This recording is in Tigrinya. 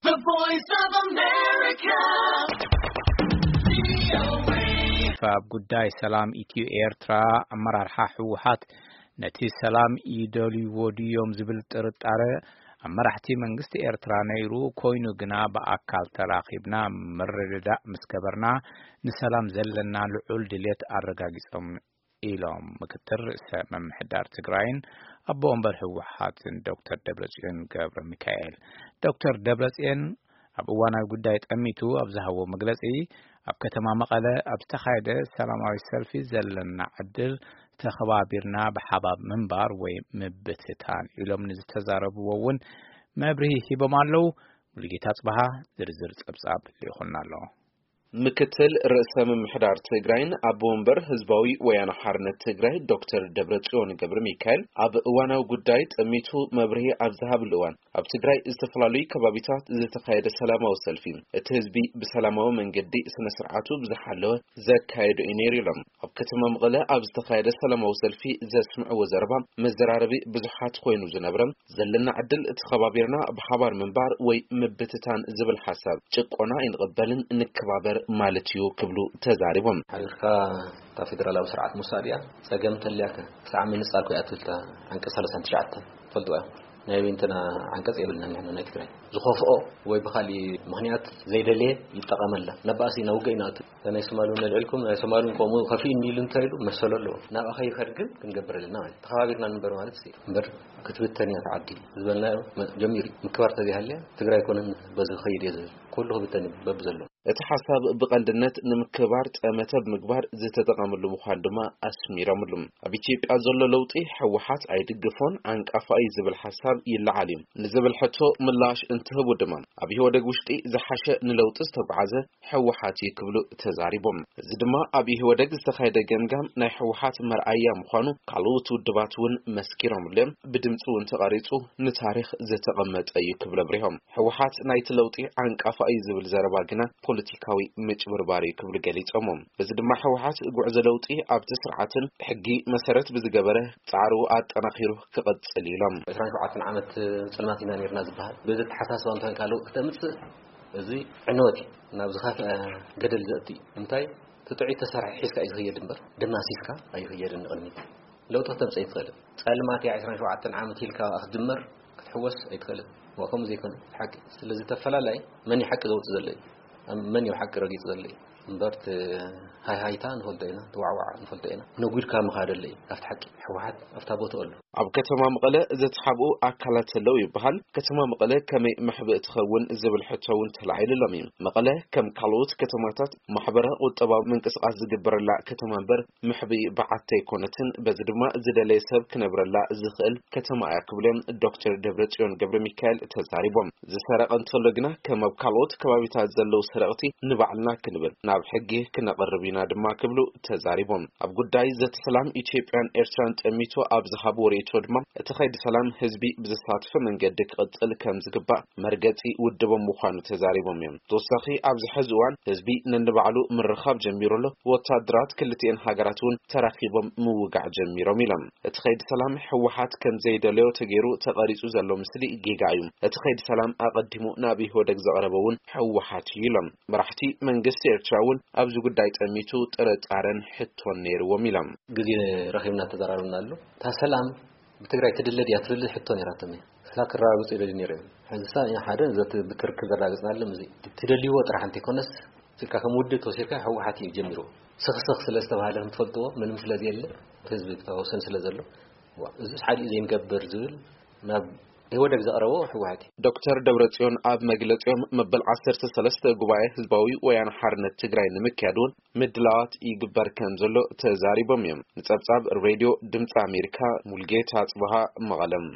The Voice of America. ኣብ ጉዳይ ሰላም ኢትዮ ኤርትራ ኣመራርሓ ህወሓት ነቲ ሰላም ይደልይዎ ድዮም ዝብል ጥርጣረ ኣብ መራሕቲ መንግስቲ ኤርትራ ነይሩ ኮይኑ ግና ብኣካል ተራኺብና ምርድዳእ ምስ ገበርና ንሰላም ዘለና ልዑል ድልየት ኣረጋጊጾም ኢሎም ምክትል ርእሰ ምምሕዳር ትግራይን ኣቦ ወንበር ህወሓትን ዶክተር ደብረጽዮን ገብረ ሚካኤል። ዶክተር ደብረጽዮን ኣብ እዋናዊ ጉዳይ ጠሚቱ ኣብ ዝሃቦ መግለጺ ኣብ ከተማ መቐለ ኣብ ዝተኻየደ ሰላማዊ ሰልፊ ዘለና ዕድል ተኸባቢርና ብሓባር ምንባር ወይ ምብትታን ኢሎም ንዝተዛረብዎ እውን መብርሂ ሂቦም ኣለዉ። ሙሉጌታ ጽበሃ ዝርዝር ጸብጻብ ልኢኹልና ኣሎ። ምክትል ርእሰ ምምሕዳር ትግራይን ኣቦ ወንበር ህዝባዊ ወያነ ሓርነት ትግራይ ዶክተር ደብረጽዮን ገብረ ሚካኤል ኣብ እዋናዊ ጉዳይ ጠሚቱ መብርሂ ኣብ ዝሃብሉ እዋን ኣብ ትግራይ ዝተፈላለዩ ከባቢታት ዝተኻየደ ሰላማዊ ሰልፊ እቲ ህዝቢ ብሰላማዊ መንገዲ ስነ ስርዓቱ ብዝሓለወ ዘካየዱ እዩ ነይሩ ኢሎም። ኣብ ከተማ መቐለ ኣብ ዝተኻየደ ሰላማዊ ሰልፊ ዘስምዕዎ ዘረባ መዘራረቢ ብዙሓት ኮይኑ ዝነብረ ዘለና ዕድል ተኸባቢርና ብሓባር ምንባር ወይ ምብትታን ዝብል ሓሳብ ጭቆና ኣይንቕበልን ንከባበር ማለት እዩ ክብሉ ተዛሪቦም። ሓቢርካ እታ ፌደራላዊ ስርዓት ምውሳድ እያ ጸገም ተልያከ ክሳዕ ምንጻል ኮይ ኣትልታ ዓንቀ ሰላሳን ትሽዓተን ትፈልጥዋ ናይ ቤንትና ዓንቀጽ የብልና ንሕና ናይ ትግራይ ዝኸፍኦ ወይ ብኻሊእ ምኽንያት ዘይደለየ ይጠቐመላ ነባእሲ ናብ ውግእ ይናእቱ ናይ ሶማሉ ነልዕልኩም ናይ ሶማሉ ከምኡ ከፊኡ እንዲሉ እንታይ ኢሉ መሰሎ ኣለዎ ናብኣ ከይኸድ ግን ክንገብር ኣለና ማለት ተኸባቢርና ንንበር ማለት እምበር ክትብተን እያ ዓዲ ዝበልናዮ ጀሚሩ ምክባር ተዘይሃልያ ትግራይ ኮነን በዚ ክኸይድ እየ ዝብል ኩሉ ክብተን እዩ በብዘሎ እቲ ሓሳብ ብቐንድነት ንምክባር ጠመተ ብምግባር ዝተጠቐምሉ ምዃን ድማ ኣስሚሮምሉ። ኣብ ኢትዮጵያ ዘሎ ለውጢ ህወሓት ኣይድግፎን ዓንቃፋ እዩ ዝብል ሓሳብ ይለዓል እዩ ንዝብል ሕቶ ምላሽ እንትህቡ ድማ ኣብ ኢህወደግ ውሽጢ ዝሓሸ ንለውጢ ዝተጓዓዘ ህወሓት እዩ ክብሉ ተዛሪቦም። እዚ ድማ ኣብ ኢህወደግ ዝተኻየደ ገምጋም ናይ ህወሓት መርኣያ ምዃኑ ካልኦት ውድባት እውን መስኪሮምሉ እዮም። ብድምፂ እውን ተቐሪፁ ንታሪኽ ዝተቐመጠ እዩ ክብሉ ኣብሪሆም። ህወሓት ናይቲ ለውጢ ዓንቃፋ እዩ ዝብል ዘረባ ግና ፖለቲካዊ ምጭብርባር እዩ ክብሉ ገሊፆሞ። በዚ ድማ ህወሓት ጉዕዞ ለውጢ ኣብቲ ስርዓትን ሕጊ መሰረት ብዝገበረ ፃዕሩ ኣጠናኺሩ ክቐፅል ኢሎም። ዕስራን ሸውዓተን ዓመት ፅልማት ኢና ነርና ዝበሃል በዚ ተሓሳስባ እንኳን ካልእ ክተምፅእ እዚ ዕንወት እዩ ናብ ዝኸፍአ ገደል ዘእቲ እዩ እንታይ ትጥዑይ ተሰርሐ ሒዝካ እዩ ዝኽየድ እምበር ደማሲስካ ኣይኽየድን ንቕድሚት ለውጢ ክተምፀእ ይትኽእል ፀልማት እያ ዕስራን ሸውዓተን ዓመት ኢልካ ክትጅመር ክትሕወስ ኣይትኽእልን ዋ ከምኡ ዘይኮነ ሓቂ ስለዚ ተፈላላይ መን እዩ ሓቂ ዘውፅእ ዘሎ እዩ መን እዩ ሓቂ ረጊፁ ዘሎ እዩ እምበር ሃይሃይታ ንፈልጦ ኢና ትዋዕዋዕ ንፈልጦ ኢና ነጒድካ ምኻደለ እዩ ካብቲ ሓቂ ሕወሓት ኣብታ ቦትኡ ኣሎ ኣብ ከተማ መቐለ ዘተሓብኡ ኣካላት ኣለዉ ይበሃል። ከተማ መቐለ ከመይ መሕብእ ትኸውን ዝብል ሕቶ እውን ተላዒሉሎም እዩ። መቐለ ከም ካልኦት ከተማታት ማሕበረ ቁጠባዊ ምንቅስቃስ ዝግበረላ ከተማ እምበር መሕብኢ በዓቲ ኣይኮነትን። በዚ ድማ ዝደለየ ሰብ ክነብረላ ዝኽእል ከተማ እያ ክብሉ እዮም ዶክተር ደብረጽዮን ገብረ ሚካኤል ተዛሪቦም። ዝሰረቐ እንተሎ ግና ከም ኣብ ካልኦት ከባቢታት ዘለዉ ሰረቕቲ ንባዕልና ክንብል ናብ ሕጊ ክነቕርብ ኢና ድማ ክብሉ ተዛሪቦም። ኣብ ጉዳይ ዘተ ሰላም ኢትዮጵያን ኤርትራን ጠሚቱ ኣብ ዝሃብዎ ርእይቶ ድማ እቲ ከይዲ ሰላም ህዝቢ ብዘሳተፈ መንገዲ ክቕፅል ከም ዝግባእ መርገፂ ውድቦም ምዃኑ ተዛሪቦም እዮም። ተወሳኺ ኣብዚ ሕዚ እዋን ህዝቢ ነንባዕሉ ምርኻብ ጀሚሩ ኣሎ። ወታደራት ክልቲኤን ሃገራት እውን ተራኺቦም ምውጋዕ ጀሚሮም ኢሎም። እቲ ከይዲ ሰላም ህወሓት ከም ዘይደለዮ ተገይሩ ተቐሪፁ ዘሎ ምስሊ ጌጋ እዩ። እቲ ከይዲ ሰላም ኣቐዲሙ ናብ ኢህወደግ ዘቕረበ እውን ህወሓት እዩ ኢሎም። መራሕቲ መንግስቲ ኤርትራ እውን ኣብዚ ጉዳይ ጠሚቱ ጥርጣረን ሕቶን ነይርዎም ኢሎም። ግዜ ረኺብና ተዘራርብና ኣሎ። እታ ሰላም ብትግራይ ትድለ ድያ ትብል ሕቶ ነይራቶም እያ። ስላ ክረጋግፁ ይደልዩ ነይሩ እዮም። ሕዚ ሳ ሓደ ዘቲ ብክርክር ዘረጋግፅና ኣሎ እዚ ትደልይዎ ጥራሕ እንተይኮነስ ስልካ ከም ውድብ ተወሲድካ ህወሓት እዩ ጀሚርዎ። ስኽስኽ ስለ ዝተባሃለ ከም ትፈልጥዎ ምንም ስለ ዘየለ ህዝቢ ተወሰን ስለ ዘሎ ዋ፣ እዚስ ሓዲኡ ዘይንገብር ዝብል ናብ ኢህወደግ ዘቕረቦ ህወሓት እዩ። ዶክተር ደብረጽዮን ኣብ መግለጺኦም መበል ዓሰርተ ሰለስተ ጉባኤ ህዝባዊ ወያነ ሓርነት ትግራይ ንምክያድ እውን ምድላዋት ይግበር ከም ዘሎ ተዛሪቦም እዮም። ንጸብጻብ ሬድዮ ድምፂ ኣሜሪካ ሙልጌታ ጽበሃ መቐለም።